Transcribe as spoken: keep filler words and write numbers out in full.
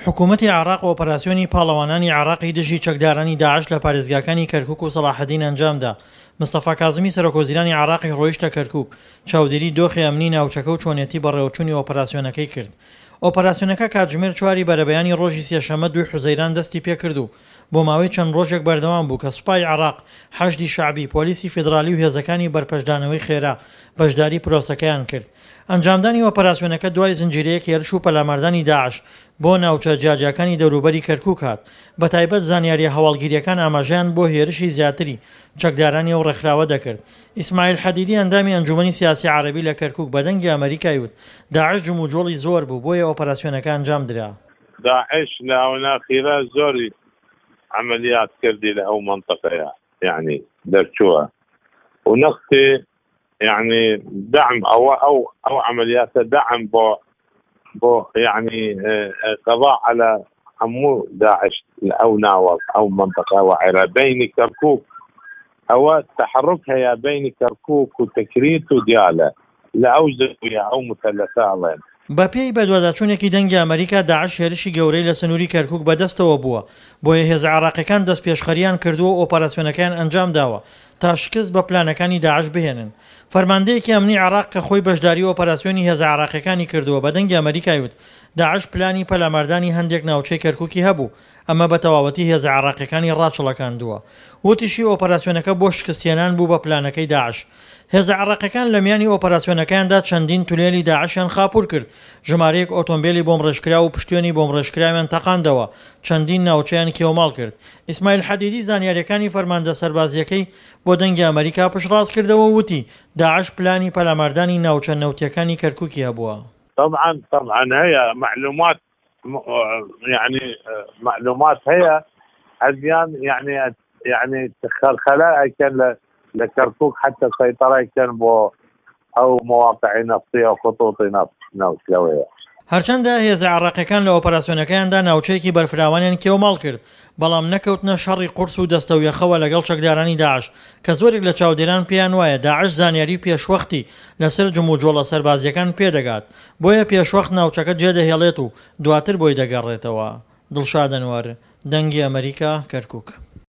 حکوومەتی عێراق ئۆپەراسیۆنی پاڵەوانانی عێراقی دژی چەکدارانی داعش لە پارێزگاکانی کەرکوک و سەڵاحەدین ئەنجامدا. مستەفا کازمی سەرۆکوەزیرانی عێراقیش ڕۆیشتە کەرکوک، چاودێری دۆخی ئەمنی ناوچەکە و چۆنیەتی بەڕێوەچوونی ئۆپەراسیۆنەکەی کرد. ئۆپەراسیۆنەکە کاتژمێر چواری بەرەبەیانی ڕۆژی سێشەممە دووی حوزەیران دەستی پێکرد و بۆ ماوەی چەند ڕۆژێک بەردەوام بوو کە سوپای عێراق، حەشدی شەعبی، پۆلیسی فیدرالی و هێزەکانی بەرپەرچدانەوەی خێرا بەشداری پرۆسەکەیان کرد. ئەنجامدانی ئۆپەراسیۆنەکە دوای زنجیرەیەک هێرش و پەلاماردانی داعش بۆ ناوچە جیاجیاکانی دەوروبەری کەرکوک هات، بەتایبەت زانیارییە هەواڵگیرییەکان ئاماژەیان بۆ هێرشی زیاتری چەکدارانی ئەو ڕێکخراوە دەکرد. ئیسماعیل حەدیدی ئەندامی ئەنجومەنی سیاسی عەرەبی لە کەرکوک بە دەنگی ئەمەریکای وت داعش جموجۆڵی زۆر بوو بۆیە ئۆپەراسیۆنەکە ئەنجامدرا. داعش لە ئاونە ئەخیرە زۆری عەمەلیات کردی لە ئەو مەنتەقەیە یەعنی دەرچووە و نەختی یەعنی دەعم ئەوە ئەو ئەو عەمەلیاتە دەعم بۆ بۆ یەعنی قضاء على هەموو داعش لە ئەو ناوە ئەو مەنتەقە وعێرا بەینی کەرکوک ئەوە تەحرک هەیە بەینی کەرکوک و تکریت و دیالە لە ئەو زەویە ئەو مثلثە ئەڵێن. بەپێی بەدواداچوونێکی دەنگی ئەمەریکا، داعش هێرشی گەورەی لە سنووری کەرکوک بەدەستەوە بووە، بۆیە هێزە عێراقیەکان دەستپێشخەرییان کردووە و ئۆپەراسیۆنەکەیان ئەنجامداوە تا شکست بە پلانەکانی داعش بهێنن. فەرماندەیەکی ئەمنی عێراق کە خۆی بەشداری ئۆپەراسیۆنی هێزە عێراقیەکانی کردووە بە دەنگی ئەمەریکای وت، داعش پلانی پەلاماردانی هەندێک ناوچەی کەرکوکی هەبوو، ئەمە بە تەواوەتی هێزە عێراقیەکانی ڕاچڵەکاندووە. وتیشی ئۆپەراسیۆنەکە بۆ شکستهێنان بوو بە پلانەکەی داعش. هێزە عێراقیەکان لە میانی ئۆپەراسیۆنەکەیاندا چەندین تونێلی داعشیان خاپوور کرد، ژمارەیەک ئۆتۆمبێلی بۆمبڕێژکراو و پشتوێنی بۆمبڕێژکراویان تەقاندەوە، چەندین ناوچەیان کێوماڵ کرد. ئیسماعیل حەدیدی زانیارییەکانی فەرماندە سەربازییەکەی بۆ دەنگی ئەمەریکا پشتڕاست کردەوە و وتی، داعش پلانی پەلاماردانی ناوچە نەوتییەکانی کەرکوکی هەبووە. طبعا طبعا هەیە معلومات یعنی معلومات هەیە ئەزیان یعنی یعنی خەلخەلە ئەکەن لە لە کەرکوک حتى سەیتەرە ئەکەن بۆ ئەو مواقعی نەفتی و خطوطی نەفت نەوت لەوەیە. هەرچەندە هێزە عێراقیەکان لە ئۆپەراسیۆنەکەیاندا ناوچەیەکی بەرفراوانیان کێوماڵ کرد، بەڵام نەکەوتنە شەڕی قورس و دەستەویەخەوە لەگەڵ چەکدارانی داعش، کە زۆرێک لە چاودێران پێیان وایە داعش زانیاری پێشوەختی لەسەر جموجۆڵە سەربازییەکان پێدەگات، بۆیە پێشوەخت ناوچەکە جێدەهێڵێت و دواتر بۆی دەگەڕێتەوە. دڵشاد ئەنوەر، دەنگی ئەمەریکا، کەرکوک.